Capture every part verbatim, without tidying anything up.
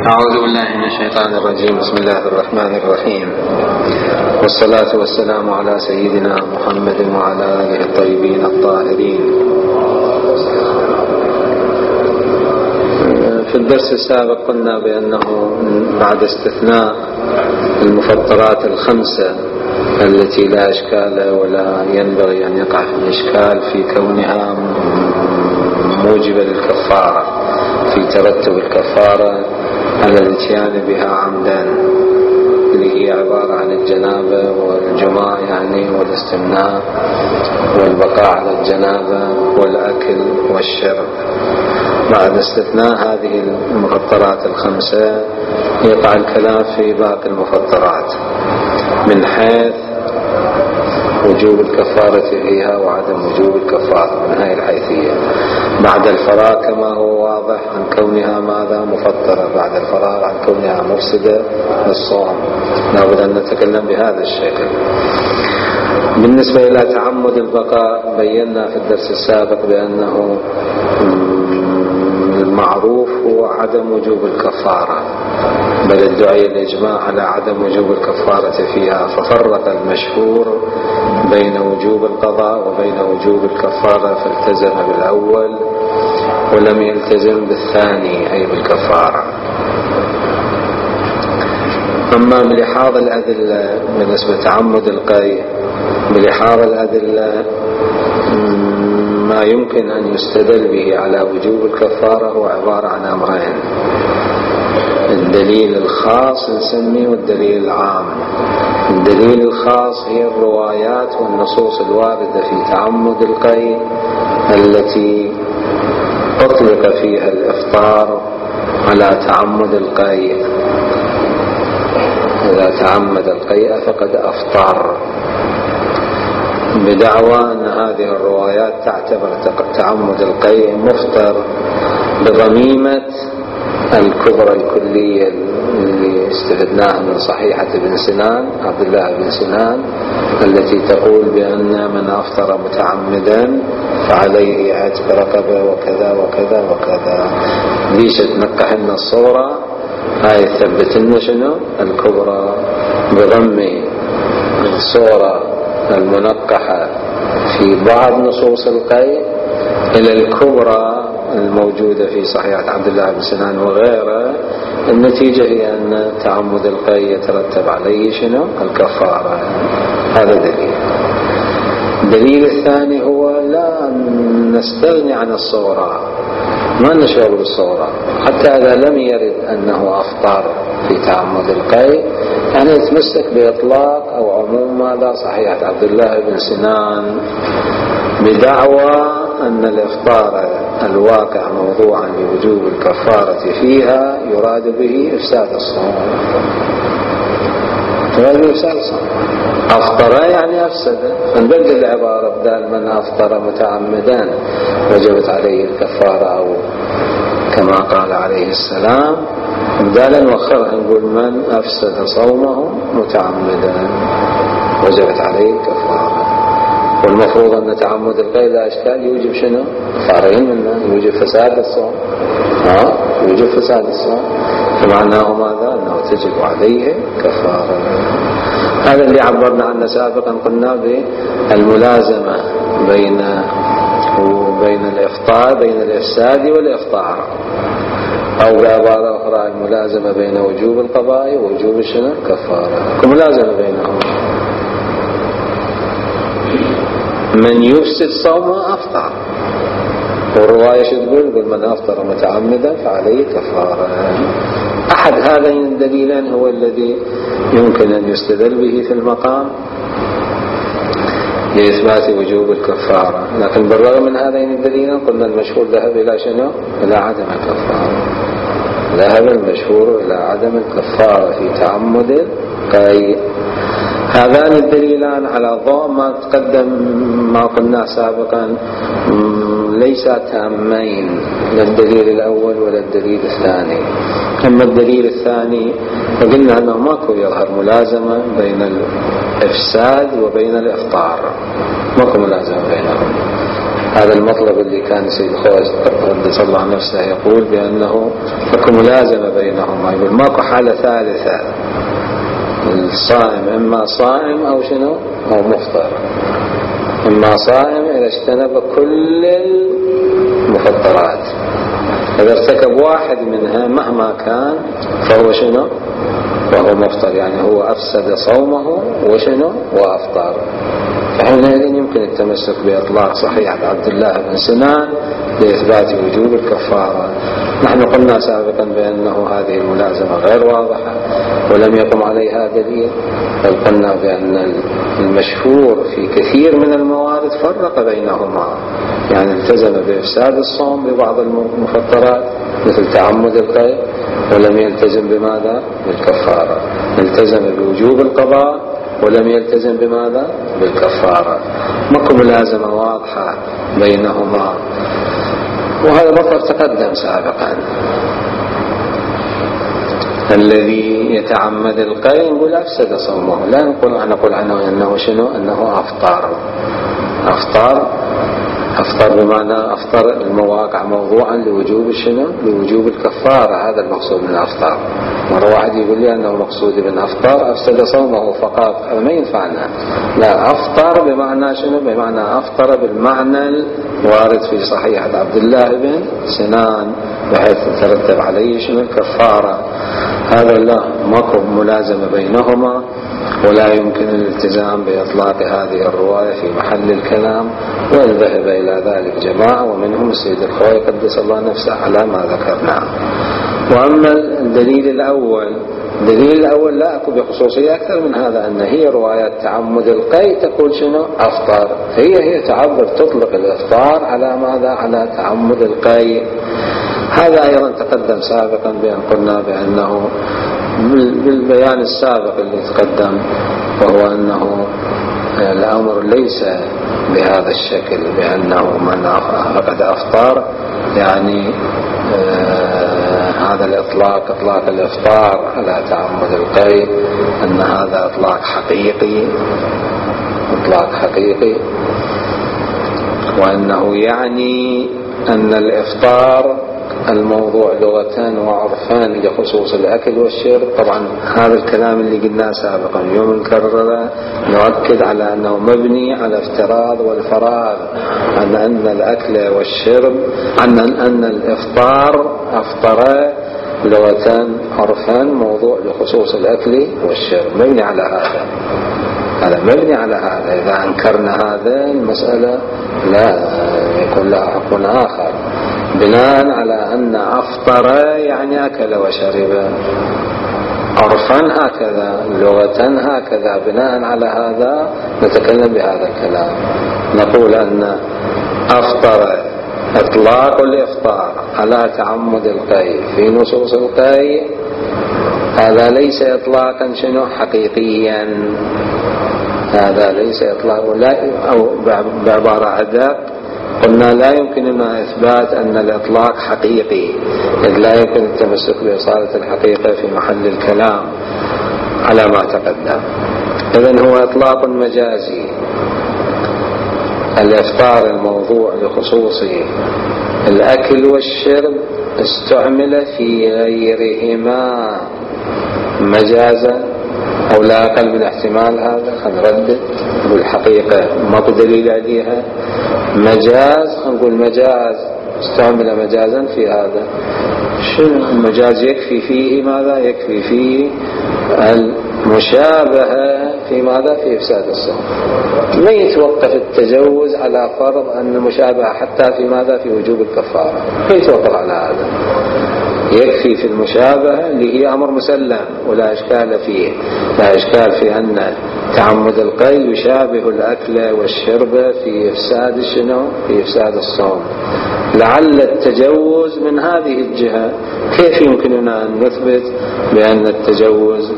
أعوذ بالله من الشيطان الرجيم. بسم الله الرحمن الرحيم، والصلاة والسلام على سيدنا محمد وعلى آله الطيبين الطاهرين. في الدرس السابق قلنا بأنه بعد استثناء المفطرات الخمسة التي لا إشكال ولا ينبغي أن يقع في الإشكال في كونها موجبة للكفارة، في ترتب الكفارة على الاتيان بها عمدا، اللي هي عبارة عن الجنابة والجماع يعني والاستمناء والبقاء على الجنابة والأكل والشرب. بعد استثناء هذه المفطرات الخمسة يقع الكلام في باقي المفطرات من حيث وجوب الكفارة فيها وعدم وجوب الكفارة من هذه الحيثية. بعد الفراغ كما هو واضح عن كونها ماذا مفطرة، بعد الفراغ عن كونها مفسدة للصوم، لابد أن نتكلم بهذا الشكل. بالنسبة إلى تعمد البقاء بينا في الدرس السابق بأنه المعروف هو عدم وجوب الكفارة، بل ادعي الإجماع على عدم وجوب الكفارة فيها، ففرق المشهور بين وجوب القضاء وبين وجوب الكفارة، فالتزم بالأول ولم يلتزم بالثاني أي بالكفارة. أما بلحاظ الأدلة بالنسبة لتعمد القيء، بلحاظ الأدلة ما يمكن أن يستدل به على وجوب الكفارة هو عبارة عن أمرين: الدليل الخاص نسميه والدليل العام. الدليل الخاص هي الروايات والنصوص الواردة في تعمد القيء التي أطلق فيها الإفطار على تعمد القيء. إذا تعمد القيء فقد أفطر، بدعوى أن هذه الروايات تعتبر تعمد القيء مفطر بضميمة الكبرى الكلية اللي استفدناها من صحيحة ابن سنان عبد الله بن سنان التي تقول بأن من أفطر متعمدا فعليه عتق رقبة وكذا وكذا وكذا. ليش تنقح لنا الصورة هاي؟ ثبت لنا شنو الكبرى بضم الصورة المنقحة في بعض نصوص القيء إلى الكبرى الموجودة في صحيحة عبد الله بن سنان وغيره. النتيجة هي أن تعمد القيء يترتب عليه شنو الكفارة. هذا دليل. الدليل الثاني هو لا نستغني عن الصورة، ما نشغل بالصورة حتى إذا لم يرد أنه أفطر في تعمد القيء، يعني يتمسك بإطلاق أو عموم ماذا صحيحة عبد الله بن سنان بدعوى أن الإفطار الواقع موضوعا بوجوب الكفارة فيها يراد به إفساد الصوم. يراد به إفساد الصوم. أفطر يعني أفسد، فنبدل العبارة بدل من أفطر متعمدا وجبت عليه الكفارة أو كما قال عليه السلام، بدالا نوخرها نقول من أفسد صومه متعمدا وجبت عليه الكفارة. والمفروض أن تعمد القيء لا إشكال يوجب شنو؟ كفارين منه، يوجب فساد الصوم. ها يوجب فساد الصوم، فمعناه ماذا؟ أنه تجب عليه كفارة. هذا اللي عبرنا عنه سابقا، قلنا بالملازمة بين وبين الإفطار، بين الإفساد والإفطار، أو بعبارة أخرى الملازمة بين وجوب القضاء ووجوب شنو الكفارة، كملازمة بينهم. من يفسد صومه أفطر، والرواية شو تقول؟ يقول من أفطر متعمدا فعليه كفارة. أحد هذين الدليلين هو الذي يمكن أن يستدل به في المقام لإثبات وجوب الكفارة، لكن بالرغم من هذين الدليلين قلنا المشهور ذهب إلى شنو؟ إلى عدم الكفارة. ذهب المشهور إلى عدم الكفارة في تعمد القيء. هذان الدليلان على ضوء ما تقدم ما قلنا سابقا ليس تامين، لا الدليل الأول ولا الدليل الثاني. أما الدليل الثاني فقلنا أنه ماكو يظهر ملازمة بين الإفساد وبين الإفطار، ماكو ملازمة بينهم. هذا المطلب اللي كان سيد الخوج قدس الله نفسه يقول بأنه اكو ملازمة بينهما، يقول ماكو حالة ثالثة، الصائم إما صائم أو شنو أو مفطر، إما صائم إذا اجتنب كل المفطرات، إذا ارتكب واحد منها مهما كان فهو شنو وهو مفطر، يعني هو أفسد صومه وشنو وأفطر. فحينئذ يمكن التمسك بإطلاق صحيحة عبد الله بن سنان لإثبات وجوب الكفارة. نحن قلنا سابقا بأنه هذه الملازمة غير واضحة ولم يقم عليها دليل، بل قلنا بأن المشهور في كثير من الموارد فرق بينهما، يعني التزم بإفساد الصوم ببعض المفطرات مثل تعمد القيء ولم يلتزم بماذا بالكفارة، التزم بوجوب القضاء ولم يلتزم بماذا بالكفارة. ماكو ملازمة واضحة بينهما، وهذا مطلب تقدم سابقا. الذي يتعمد القيء نقول أفسد صومه، لا نقول نقول عنه أنه شنو أنه أفطر أفطر أفطر بمعنى أفطر المواقع موضوعا لوجوب شنو لوجوب الكفارة. هذا المقصود من أفطر. مرة واحد يقول لي أنه مقصود من أفطر أفسد صومه فقط، ما ينفعنا. لا، أفطر بمعنى شنو بمعنى أفطر بالمعنى الوارد في صحيحة عبد الله بن سنان بحيث ترتب عليه شنو الكفارة. هذا لا ماكو ملازمة بينهما، ولا يمكن الالتزام بإطلاق هذه الرواية في محل الكلام، وإن ذهب إلى ذلك جماعة ومنهم السيد الخوي قدس الله نفسه على ما ذكرنا. وأما الدليل الأول الدليل الأول لا أكو بخصوصية أكثر من هذا، أن هي روايات تعمد القيء تقول شنو أفطر، هي هي تعبر تطلق الإفطار على ماذا على تعمد القيء. هذا أيضا تقدم سابقا بأن قلنا بأنه بالبيان السابق اللي تقدم، وهو أنه الأمر ليس بهذا الشكل، بأنه من فقد أفطار يعني آه هذا الإطلاق إطلاق الإفطار على تعمد القيء أن هذا إطلاق حقيقي إطلاق حقيقي وأنه يعني أن الإفطار الموضوع لغة وعرفان لخصوص الأكل والشرب. طبعا هذا الكلام اللي قلناه سابقا يوم نكرره نؤكد على أنه مبني على افتراض والفراغ، عن أن الأكل والشرب عن أن الإفطار أفطر لغة عرفان موضوع لخصوص الأكل والشرب، مبني على هذا هذا مبني على هذا. إذا أنكرنا هذا المسألة لا يكون لها حكم آخر، بناء على أن أفطر يعني أكل وشرب، عرفا هكذا لغة هكذا، بناء على هذا نتكلم بهذا الكلام، نقول أن أفطر إطلاق الإفطار على تعمد القيء في نصوص القيء هذا ليس إطلاقا شنو حقيقيا، هذا ليس إطلاق ولا أو بعبارة أدق قلنا لا يمكننا إثبات أن الإطلاق حقيقي، إذ لا يمكن التمسك بإصالة الحقيقة في محل الكلام على ما تقدم. إذن هو إطلاق مجازي، الإفطار الموضوع لخصوص الأكل والشرب استعمل في غيرهما مجازا أو لا أقل من احتمال هذا. خنردد بالحقيقة ما بدليل عليها مجاز، نقول مجاز استعمل مجازا في هذا. شنو المجاز؟ يكفي فيه ماذا؟ يكفي فيه المشابهة في ماذا؟ في إفساد الصوم. ما يتوقف التجوز على فرض أن المشابهة حتى في ماذا؟ في وجوب الكفارة، ما يتوقف على هذا. يكفي في المشابهة اللي هي أمر مسلم ولا إشكال فيه، لا إشكال في أن تعمد القيء يشابه الأكل والشرب في إفساد شنو؟ في إفساد الصوم. لعل التجوز من هذه الجهة. كيف يمكننا أن نثبت بأن التجوز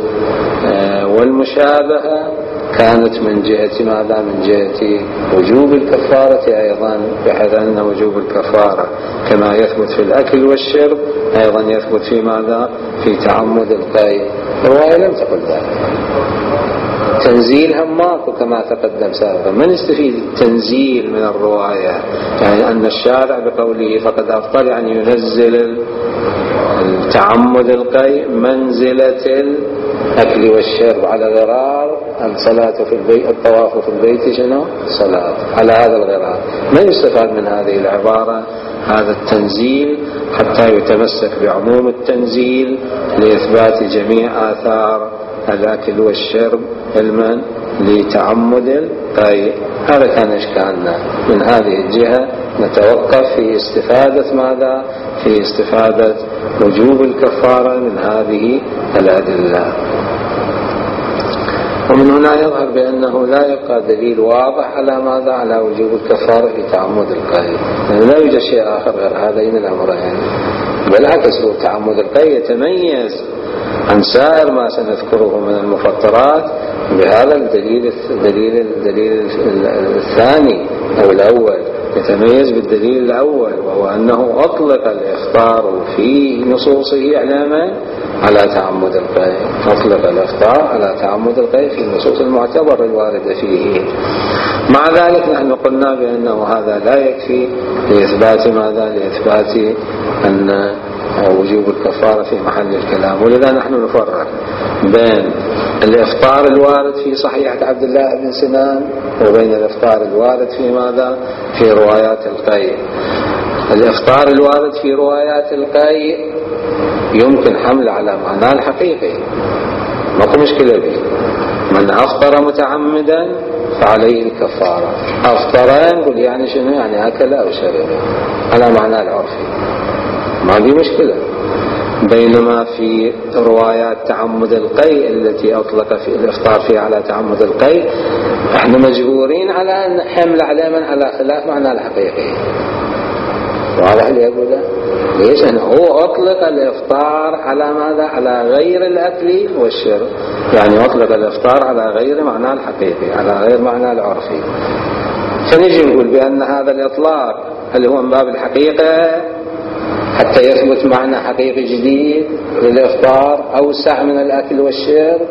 والمشابهة كانت من جهة ماذا؟ من جهة وجوب الكفارة أيضا، بحيث أن وجوب الكفارة كما يثبت في الأكل والشرب أيضا يثبت في ماذا؟ في تعمد القيء. الرواية لم تقل ذلك، تنزيل هم ماكو كما تقدم سابقا. ما نستفيد التنزيل من الرواية، يعني أن الشارع بقوله فقد أفطر يعني ينزل التعمد القيء منزلة الأكل والشرب على غرار الصلاة في البيت، الطواف في البيت شنو؟ صلاة على هذا الغرار. ما يستفاد من هذه العبارة هذا التنزيل حتى يتمسك بعموم التنزيل لإثبات جميع آثار الأكل والشرب علما لتعمد القيء. هذا كان إشكالنا. من هذه الجهة نتوقف في استفادة ماذا؟ في استفادة وجوب الكفارة من هذه الأدلة. ومن هنا يظهر بأنه لا يبقى دليل واضح على ماذا؟ على وجوب الكفارة في تعمد القيء، يعني لا يوجد شيء آخر غير هذين الأمرين. بالعكس هو تعمد القيء يتميز عن سائر ما سنذكره من المفطرات بهذا الدليل الدليل الدليل الثاني أو الأول، يتميز بالدليل الأول، وهو أنه أطلق الإفطار في نصوصه إعلاما على تعمد القيء. أطلق الإفطار على تعمد القيء في النصوص المعتبرة الواردة فيه. مع ذلك نحن قلنا بأنه هذا لا يكفي لإثبات ماذا؟ لإثبات أن وجوب الكفارة في محل الكلام. ولذا نحن نفرق بين الإفطار الوارد في صحيحة عبد الله بن سنان وبين الإفطار الوارد في ماذا؟ في روايات القيء. الإفطار الوارد في روايات القيء يمكن حمل على معناه الحقيقي، ماكو مشكلة به. من أفطر متعمدا فعليه الكفارة. أفطر نقول يعني شنو؟ يعني أكل أو شرب على معناه العرفي، ما في مشكلة. بينما في روايات تعمد القيء التي أطلق في الإفطار فيها على تعمد القيء احنا مجبورين على أن حمل على من على خلاف معناه الحقيقي. واضح اللي أقوله؟ ليش؟ أنه هو أطلق الإفطار على ماذا؟ على غير الأكل والشرب، يعني أطلق الإفطار على غير معناه الحقيقي، على غير معناه العرفي. فنجي نقول بأن هذا الإطلاق اللي هو من باب الحقيقة حتى يثبت معنى حقيقي جديد للإفطار أوسع من الأكل والشرب،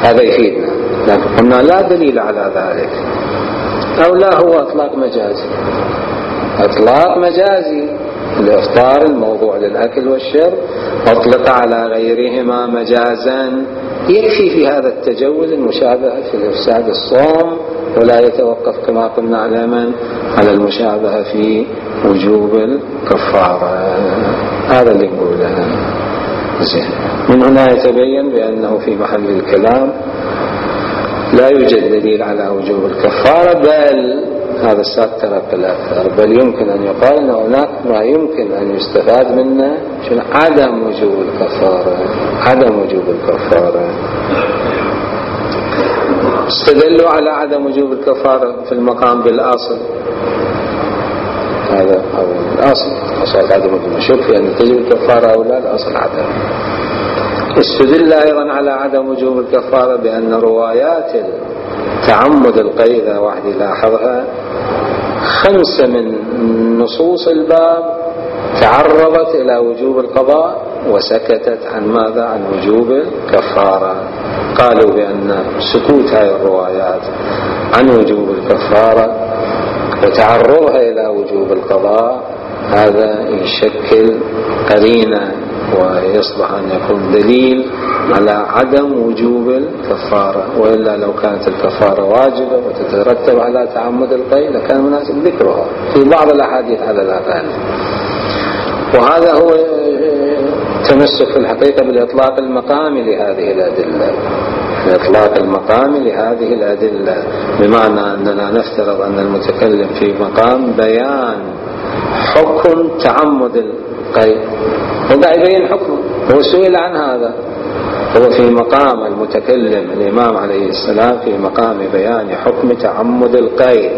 هذا يفيدنا. لكن قلنا لا دليل على ذلك، أو لا هو إطلاق مجازي. إطلاق مجازي الإفطار الموضوع للأكل والشرب أطلق على غيرهما مجازا، يكفي في هذا التجوز المشابهة في الإفساد الصوم، ولا يتوقف كما قلنا علما على المشابهة في وجوب الكفارة. هذا اللي نقوله. زين. من هنا يتبين بأنه في محل الكلام لا يوجد دليل على وجوب الكفارة، بل هذا الساتر بالأكثر، بل يمكن أن يقال أن هناك ما يمكن أن يستفاد منه شنو؟ عدم وجوب الكفارة. عدم وجوب الكفارة. استدلوا على عدم وجوب الكفارة في المقام بالأصل. هذا هو الأصل، أصل عدم المشك في أن تجب الكفارة أو لا، الأصل عدم. استدل أيضا على عدم وجوب الكفارة بأن روايات تعمد القيء إذا واحد لاحظها خمسة من نصوص الباب تعرضت إلى وجوب القضاء وسكتت عن ماذا؟ عن وجوب الكفارة. قالوا بأن سكوت هذه الروايات عن وجوب الكفارة وتعرضها إلى وجوب القضاء هذا يشكل قرينة ويصبح أن يكون دليل على عدم وجوب الكفارة. وإلا لو كانت الكفارة واجبة وتترتب على تعمد القيء لكان مناسب ذكرها في بعض الأحاديث على الأقل. وهذا هو تمسك في الحقيقة بالإطلاق المقامي لهذه الأدلة، الإطلاق المقامي لهذه الأدلة، بمعنى أننا نفترض أن المتكلم في مقام بيان حكم تعمد القيء، وقع يبين حكمه، هو سئل عن هذا، هو في مقام المتكلم الإمام عليه السلام في مقام بيان حكم تعمد القيء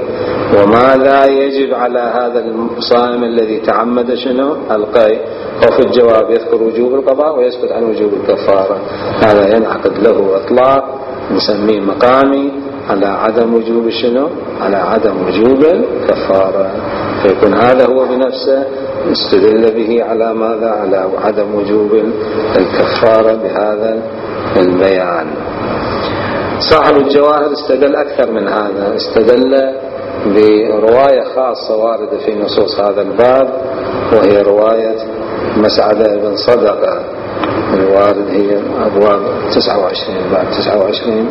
وماذا يجب على هذا الصائم الذي تعمد شنو؟ القيء. وفي الجواب يذكر وجوب القضاء ويسكت عن وجوب الكفارة. هذا ينعقد له إطلاق نسميه مقامي على عدم وجوب شنو؟ على عدم وجوب الكفارة. فيكون هذا هو بنفسه استدل به على ماذا؟ على عدم وجوب الكفارة بهذا البيان. صاحب الجواهر استدل أكثر من هذا، استدل برواية خاصة واردة في نصوص هذا الباب، وهي رواية مسعدة بن صدقة الوارد، هي أبواب تسعة وعشرين، باب تسعة وعشرين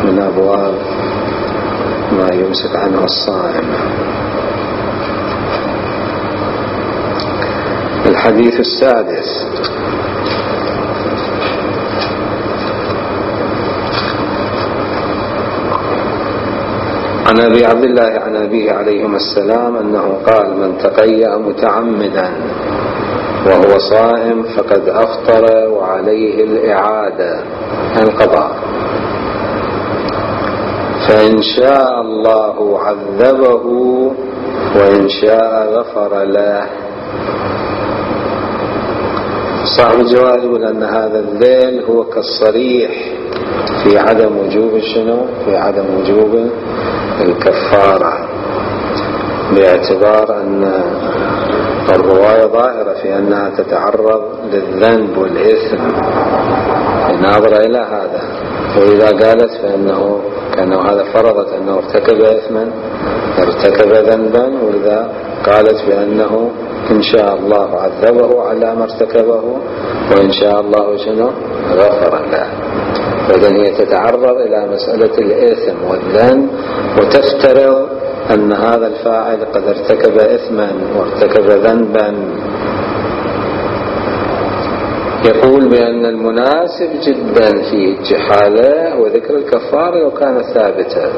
من أبواب ما يمسك عنه الصائم. الحديث السادس: عن أبي عبد الله عن أبيه عليهما السلام أنه قال: من تقيأ متعمدا وهو صائم فقد أفطر وعليه الإعادة القضاء، فإن شاء الله عذبه وإن شاء غفر له. صاحب الجواب يقول أن هذا الذيل هو كالصريح في عدم وجوب شنو؟ في عدم وجوب الكفارة، باعتبار أن الرواية ظاهرة في أنها تتعرض للذنب والإثم، ناظرة إلى هذا. وإذا قالت فإنه كأنه هذا فرضت أنه ارتكب إثما ارتكب ذنبا، وإذا قالت بأنه إن شاء الله عذبه على ما ارتكبه وإن شاء الله شنو غفر له. فإذن هي تتعرض إلى مسألة الإثم والذنب، وتفترض أن هذا الفاعل قد ارتكب إثما وارتكب ذنبا. يقول بأن المناسب جدا في الجحالة وذكر الكفارة لو كان ثابتا،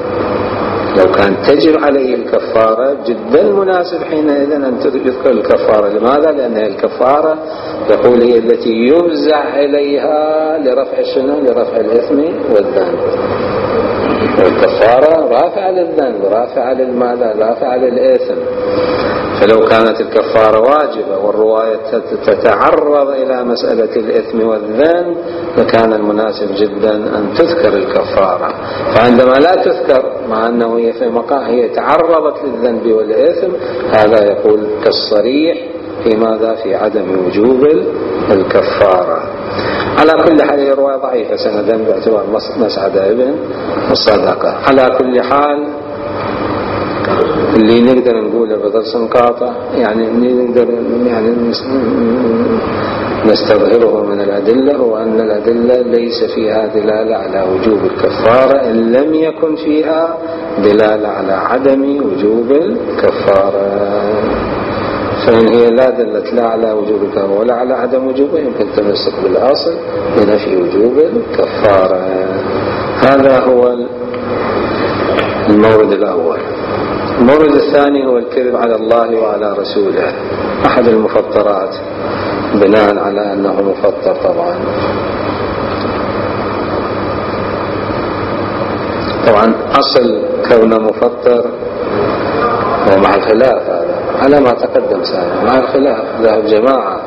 لو كان تجب عليه الكفارة جدا مناسب حينئذ أن تذكر الكفارة. لماذا؟ لأن الكفارة يقول هي التي يفزع إليها لرفع شنو؟ لرفع الإثم والذنب. والكفارة رافعة للذنب، رافعة للماذا؟ رافعة للإثم. فلو كانت الكفارة واجبة والرواية تتعرض إلى مسألة الإثم والذنب لكان المناسب جدا أن تذكر الكفارة. فعندما لا تذكر مع أنه هي في مقام هي تعرضت للذنب والإثم، هذا يقول كالصريح في ماذا؟ في عدم وجوب الكفارة. على كل حال هي رواية ضعيفة سندا باعتبار مسعدة بن الصدقة. على كل حال اللي نقدر نقوله بدرس قاطع يعني نقدر يعني نستظهره من الأدلة، هو أن الأدلة ليس فيها دلالة على وجوب الكفارة إن لم يكن فيها دلالة على عدم وجوب الكفارة. فإن هي لا دلت لا على وجوب الكفارة ولا على عدم وجوبه يمكن تمسك بالأصل بنفي وجوب الكفارة. هذا هو المورد الأول. المورد الثاني هو الكذب على الله وعلى رسوله، أحد المفطرات بناء على أنه مفطر. طبعا طبعا أصل كونه مفطر ومع الخلاف هذا على ما تقدم سابقا، مع الخلاف ذهب جماعة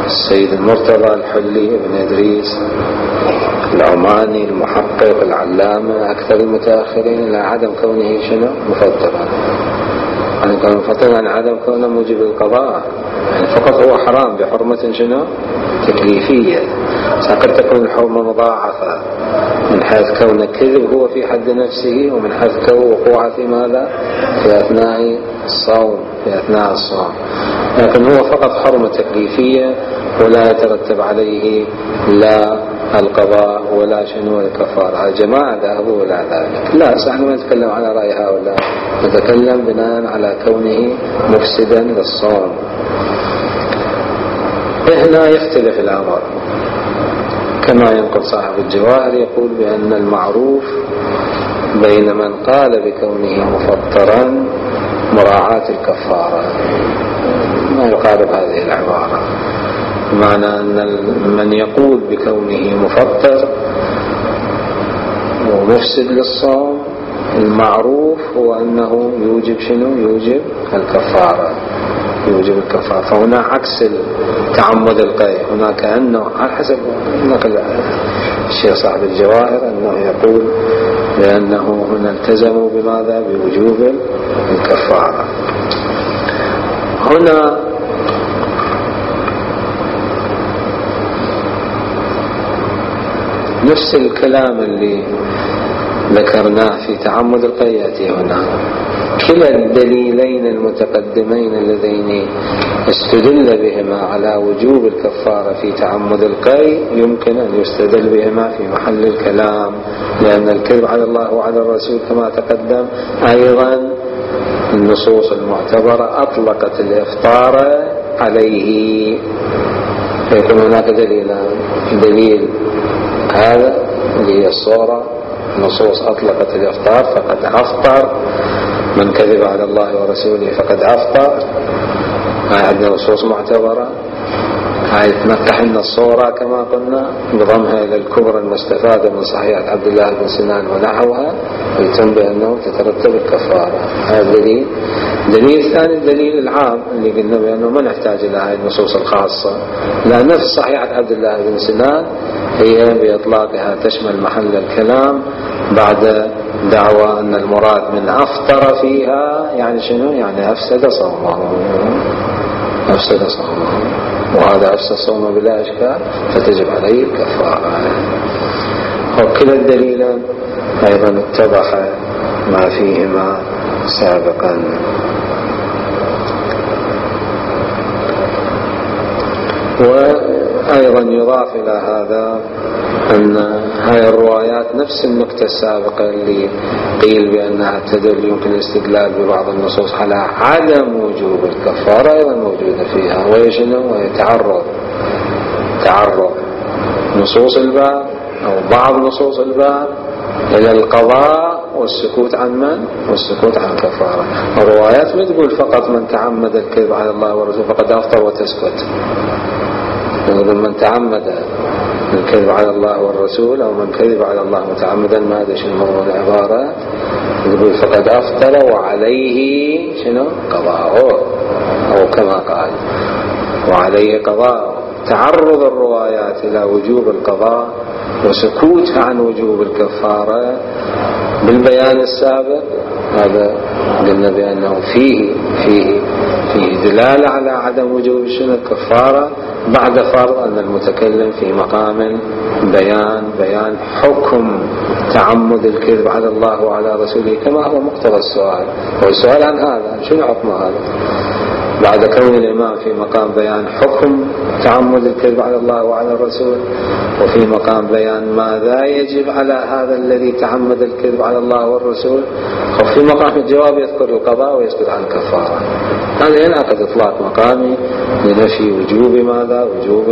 السيد المرتضى الحلي ابن إدريس العماني المحقق العلامة أكثر المتأخرين إلى عدم كونه شنو مفطرا، يعني كونه مفطرا عن عدم كونه موجب القضاء، يعني فقط هو حرام بحرمة شنو تكليفية. قد تكون الحرمة مضاعفة من حيث كون الكذب هو في حد نفسه، ومن حيث كون وقوعه في ماذا في أثناء الصوم في أثناء الصوم لكن هو فقط حرمة تكليفية ولا يترتب عليه لا القضاء ولا شنو الكفارة. الجماعة ذهبوا إلى ذلك. لا نحن ما نتكلم على رأي هؤلاء، نتكلم بناء على كونه مفسدا للصوم. هنا يختلف الأمر كما ينقل صاحب الجواهر، يقول بأن المعروف بين من قال بكونه مفطرا مراعاة الكفارة، ما يقارب هذه العبارة، بمعنى أن من يقول بكونه مفطر ومفسد للصوم المعروف هو أنه يوجب شنو يوجب الكفارة يوجب الكفارة. فهنا عكس تعمد القيء، هنا كأنه على حسب نقل الشيخ صاحب الجواهر أنه يقول بأنه هنا التزموا بماذا بوجوب الكفارة. هنا نفس الكلام اللي ذكرناه في تعمد القي يأتي هنا. كلا الدليلين المتقدمين اللذين استدل بهما على وجوب الكفارة في تعمد القي يمكن أن يستدل بهما في محل الكلام، لأن الكذب على الله وعلى الرسول كما تقدم أيضا النصوص المعتبرة أطلقت الإفطار عليه، فيكون هناك دليلان: دليل هذا اللي هي الصورة، نصوص أطلقت الإفطار فقد أفطر، من كذب على الله ورسوله فقد أفطر. هاي عندنا نصوص معتبرة. هاي تنقح لنا الصورة كما قلنا بضمها إلى الكبرى المستفادة من صحيحة عبد الله بن سنان ونحوها، ويتم بأنه تترتب الكفارة. هذا دليل. دليل ثاني الدليل العام اللي قلنا بأنه ما نحتاج إلى هاي النصوص الخاصة، لأن نفس صحيحة عبد الله بن سنان هي بإطلاقها تشمل محل الكلام بعد دعوى أن المراد من أفطر فيها يعني شنو؟ يعني أفسد صومه، أفسد صومه، وهذا أفسد صومه بلا إشكال فتجب عليه الكفارة. وكلا الدليلان أيضا اتضح ما فيهما سابقا. وأيضا يضاف إلى هذا أن هاي الروايات نفس النكتة السابقة اللي قيل بأنها تدل يمكن الاستدلال ببعض النصوص على عدم وجوب الكفارة أيضا موجودة فيها، وهي شنو؟ وهي تعرض تعرض نصوص الباب أو بعض نصوص الباب إلى القضاء والسكوت عن من؟ والسكوت عن الكفارة. الروايات ما تقول فقط من تعمد الكذب على الله ورسوله فقد أفطر وتسكت، يقول من تعمد الكذب على الله والرسول أو من كذب على الله متعمدا، ما هذا شنو موضوع العبارة، يقول فقد أفطر وعليه شنو؟ قضاءه، أو كما قال وعليه قضاء. تعرض الروايات إلى وجوب القضاء وسكوتها عن وجوب الكفارة بالبيان السابق، هذا قلنا بأنه فيه فيه فيه دلالة على عدم وجوب شنو؟ الكفارة، بعد فرض أن المتكلم في مقام بيان بيان حكم تعمد الكذب على الله وعلى رسوله كما هو مقتضى السؤال. والسؤال عن هذا شنو حكم هذا؟ بعد كون الإمام في مقام بيان حكم تعمد الكذب على الله وعلى الرسول، وفي مقام بيان ماذا يجب على هذا الذي تعمد الكذب على الله والرسول، وفي مقام الجواب يذكر القضاء ويسكت عن الكفارة. هذا ينعقد إطلاق مقامي لنفي وجوب ماذا؟ وجوب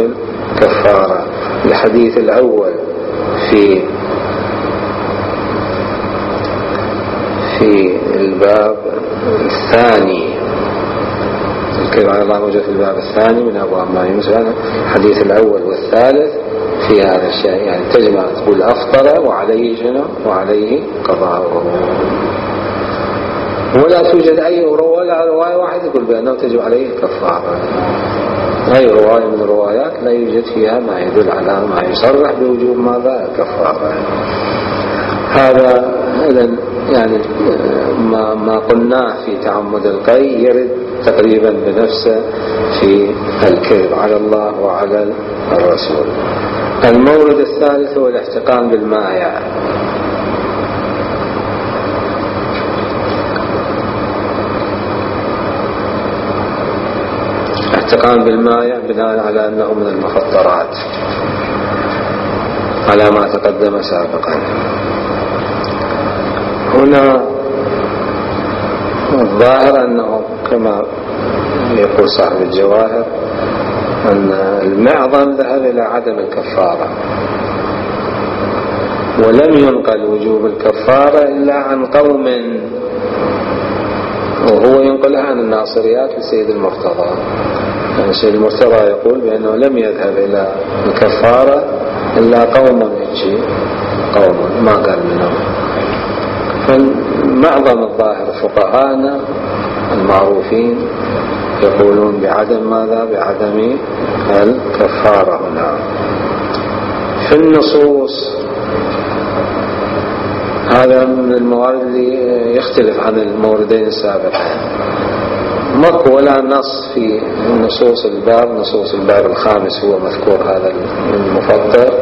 الكفارة. الحديث الأول في في الباب الثاني، الكذب على الله موجود في الباب الثاني من أبواب ما يمسك، الحديث الأول والثالث في هذا الشيء، يعني تجمع تقول أفطر وعليه شنو؟ وعليه قضاءه. ولا توجد أي ولا رواية واحدة يقول بأنه تجب عليه الكفارة. أي رواية من الروايات لا يوجد فيها ما يدل على ما يصرح بوجوب ماذا؟ الكفارة. هذا إذن يعني ما ما قلناه في تعمد القي يرد تقريبا بنفسه في الكذب على الله وعلى الرسول. المورد الثالث هو الاحتقان بالمائع. الاحتقان بالمائع بناء على أنه من المفطرات على ما تقدم سابقا. هنا الظاهر أنه كما يقول صاحب الجواهر أن المعظم ذهب إلى عدم الكفارة، ولم ينقل وجوب الكفارة إلا عن قوم، وهو ينقلها عن الناصريات لسيد المرتضى. يعني سيد المرتضى يقول بأنه لم يذهب إلى الكفارة إلا قوم يجي قوم ما قال منهم. فمعظم الظاهر فقهاءنا المعروفين يقولون بعدم ماذا؟ بعدم الكفارة. هنا في النصوص هذا من الموارد اللي يختلف عن الموردين السابقين. ماكو ولا نص في نصوص الباب، نصوص الباب الخامس هو مذكور هذا المفطر،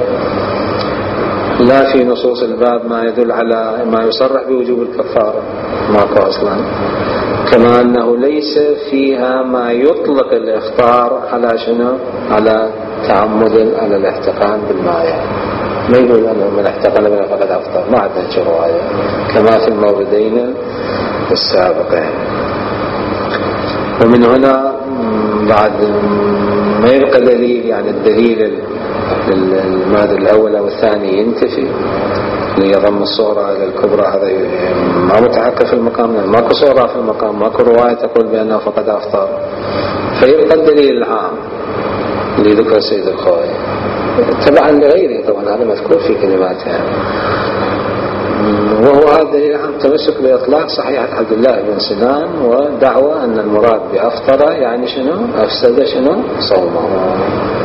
لا في نصوص الباب ما يدل على ما يصرح بوجوب الكفارة، ماكو أصلا. كما أنه ليس فيها ما يطلق الإفطار على شنو؟ على تعمد على الاحتقان بالماء، ما يقول أنه من احتقن من فقد أفطر، ما عندنا شيء رواية كما في الموردين السابقين. ومن هنا بعد ما يبقى دليل، يعني الدليل المادة الأول أو الثاني ينتفي ليضم الصورة إلى الكبرى، هذا ما متحقق في المقام، ماكو صورة في المقام، ماكو رواية تقول بأنه فقد أفطر، فيبقى الدليل العام اللي ذكر السيد الخوئي تبعا لغيره، طبعا هذا مذكور في كلماتها، وهو هذا الدليل العام تمسك بإطلاق صحيحة عبد الله بن سنان ودعوة أن المراد بأفطر يعني شنو؟ أفسد شنو؟ صومه.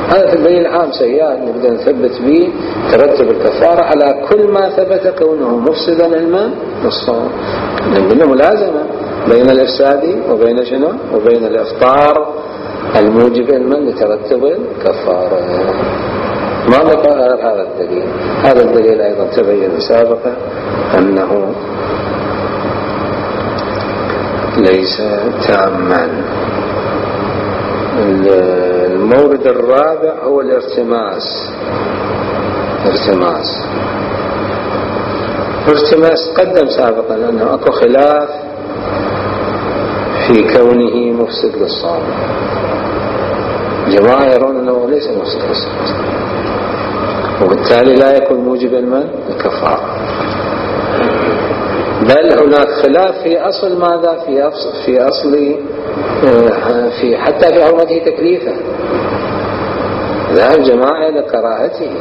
هذا الدليل العام سيئات نقدر نثبت به ترتب الكفارة على كل ما ثبت كونه مفسدا الماء الصوم، لأنه ملازمة بين الإفساد وبين شنو؟ وبين الإفطار الموجب الماء لترتب الكفارة. ما بقى هذا الدليل. هذا الدليل أيضا تبين سابقا أنه ليس تاما. المورد الرابع هو الارتماس. ارتماس ارتماس قدم سابقا أنه أكو خلاف في كونه مفسد للصوم. جماعة يرون أنه ليس مفسد للصوم، وبالتالي لا يكون موجبا من الكفارة، بل هناك خلاف في أصل ماذا؟ في أصل في أصل في حتى في حرمته تكليفا. ذهب جماعة إلى كراهته،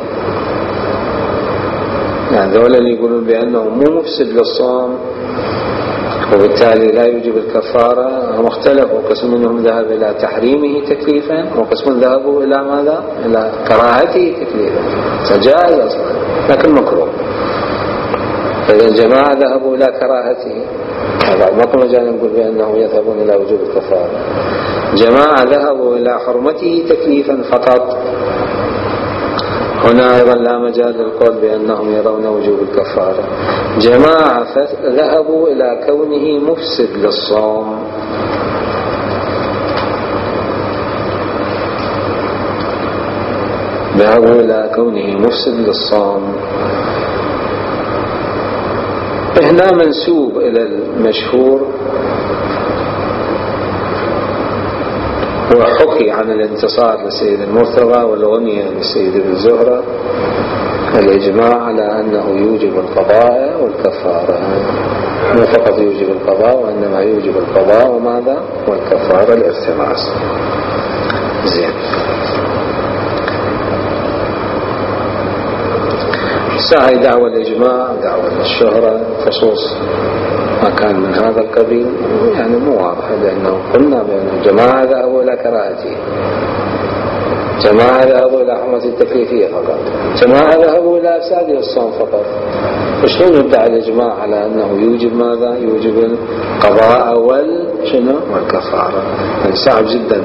يعني ذولا اللي يقولون بأنه مو مفسد للصوم وبالتالي لا يوجب الكفارة هم اختلفوا، قسم منهم ذهب إلى تحريمه تكليفا وقسم ذهبوا إلى ماذا؟ إلى كراهته تكليفا، فجائز أصلا لكن مكروه. فإذا الجماعة ذهبوا إلى كراهته، بعد ما كنا جاء نقول بأنهم يذهبون إلى وجوب الكفارة. جماعة ذهبوا إلى حرمته تكليفا فقط، هنا أيضا لا مجال للقول بأنهم يرون وجوب الكفارة. جماعة ذهبوا إلى كونه مفسد للصوم، ذهبوا إلى كونه مفسد للصوم. هنا منسوب إلى المشهور، وحكي عن الانتصار للسيد المرتضى والغنية للسيد ابن زهرة الإجماع على أنه يوجب القضاء والكفارة، مو فقط يوجب القضاء وإنما يوجب القضاء وماذا؟ والكفارة الارتماس. زين، ساعي دعوة الإجماع دعوة الشهرة خصوص ما كان من هذا القبيل يعني مو واضح، لأنه قلنا بأن الجماعة ذهبوا إلى كراهته، جماعة ذهبوا إلى حرمة التكليفية فقط، جماعة ذهبوا إلى أفساد الصوم فقط. فشلون يدعي الإجماع على أنه يوجب ماذا؟ يوجب القضاء والشنو والكفارة. يعني صعب جدا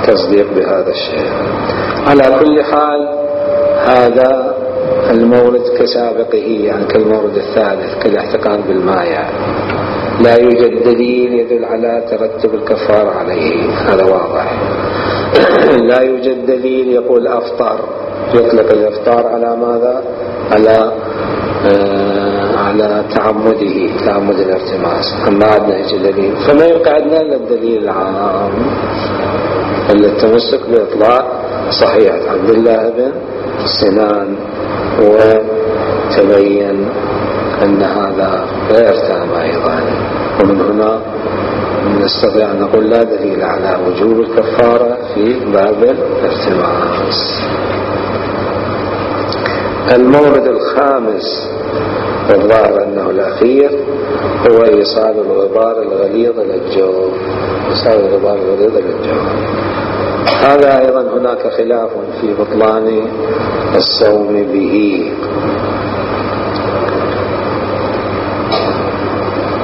تصديق بهذا الشيء. على كل حال هذا المورد كسابقه، يعني كالمورد الثالث كالاحتقان بالماء، يعني لا يوجد دليل يدل على ترتب الكفارة عليه، هذا واضح. لا يوجد دليل يقول أفطر، يطلق الإفطار على ماذا؟ على آه على تعمده، تعمد الارتماس، ما عندنا هيك دليل. فما يبقى عندنا إلا الدليل العام اللي التمسك بإطلاق صحيحة عبد الله بن سنان، وتبين أن هذا غير تام أيضا. ومن هنا نستطيع أن نقول لا دليل على وجوب الكفارة في باب الارتماس. المورد الخامس والظاهر أنه الأخير هو إيصال الغبار الغليظ إلى الجو. إيصال الغبار الغليظ إلى الجو هذا أيضا هناك خلاف في بطلان الصوم به.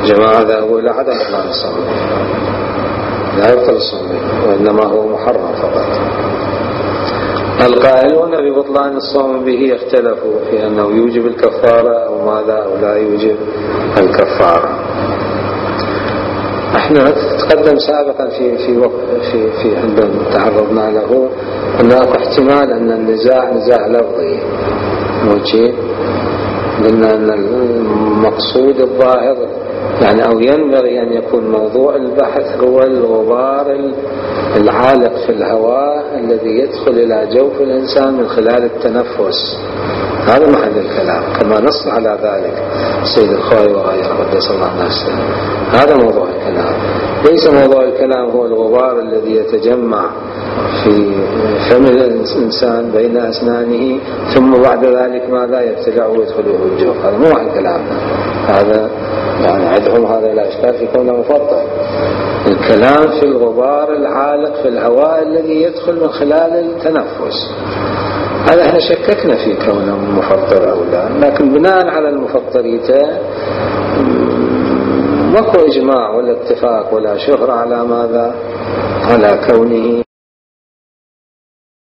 جماعة ذهبوا إلى عدم بطلان الصوم، لا يبطل الصوم وإنما هو محرم فقط. القائلون ببطلان الصوم به اختلفوا في أنه يوجب الكفارة أو ماذا أو لا يوجب الكفارة. احنا تقدم سابقا في في في في عندما تعرضنا له هناك احتمال أن النزاع نزاع لفظي موجه، قلنا أن المقصود الظاهر يعني أو ينبغي أن يكون موضوع البحث هو الغبار العالق في الهواء الذي يدخل إلى جوف الإنسان من خلال التنفس. هذا محل الكلام كما نص على ذلك سيد الخوي وغيره قدس الله نفسه. هذا موضوع الكلام، ليس موضوع الكلام هو الغبار الذي يتجمع في فم الإنسان بين أسنانه ثم بعد ذلك ماذا يبتلع ويدخله الجوف. هذا مو محل كلامنا، هذا يعني عدهم هذا لا إشكال في كونه مفضل. الكلام في الغبار العالق في الهواء الذي يدخل من خلال التنفس، هذا احنا شككنا في كونه مفضل أو لا، لكن بناء على المفضليته ماكو إجماع ولا اتفاق ولا شهرة على ماذا، على كونه